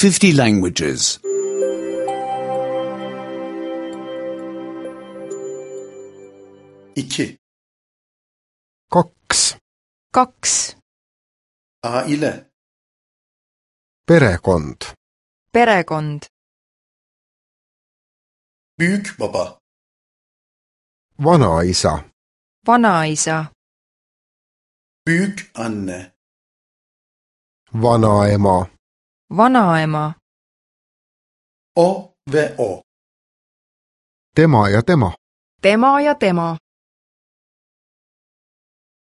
50 languages. 2. 2. 2. Aile. Perekond. Perekond. Büyük baba. Vanaisa. Vanaisa. Büyük anne. Vanaema. Vanaema. O ve o. Tema ja tema. Tema ja tema.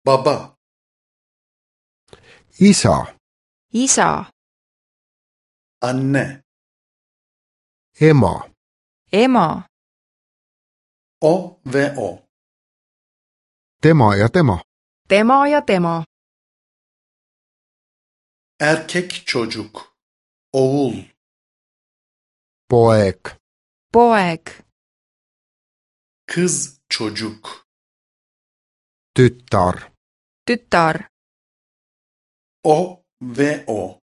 Baba. Isa. Isa. Anne. Ema. Ema. O ve o. Tema ja tema. Tema ja tema. Erkek çocuk. Oğul. Poeg. Poeg. Kız çocuk. Tyttar. Tütar. O ve o.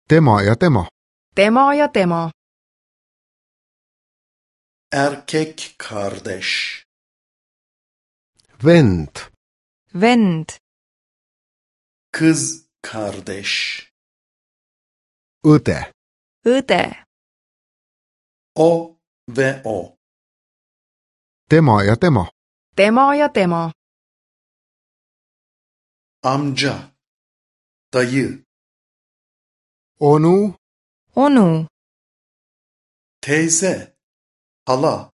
Tema ja tema. Tema ja tema. Erkek kardeş. Vend. Vend. Kız kardeş. Õde. Õde. O ve o. Tema ja tema. Tema ja tema. Amca. Dayı. Onu. Onu. Teyze. Hala.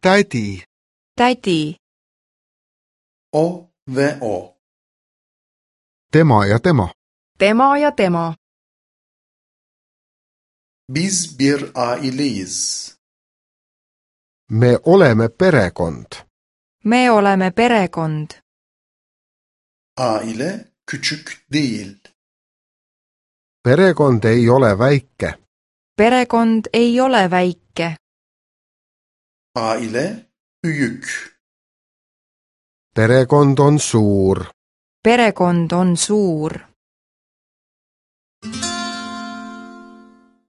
Tädi. Tädi. O ve o. Tema ja tema. Tema ja tema. Biz bir aileyiz. Me oleme perekond. Me oleme perekond. Aile küçük değil. Perekond ei ole väike. Perekond ei ole väike. Aile büyük. Perekond on suur. Perekond on suur.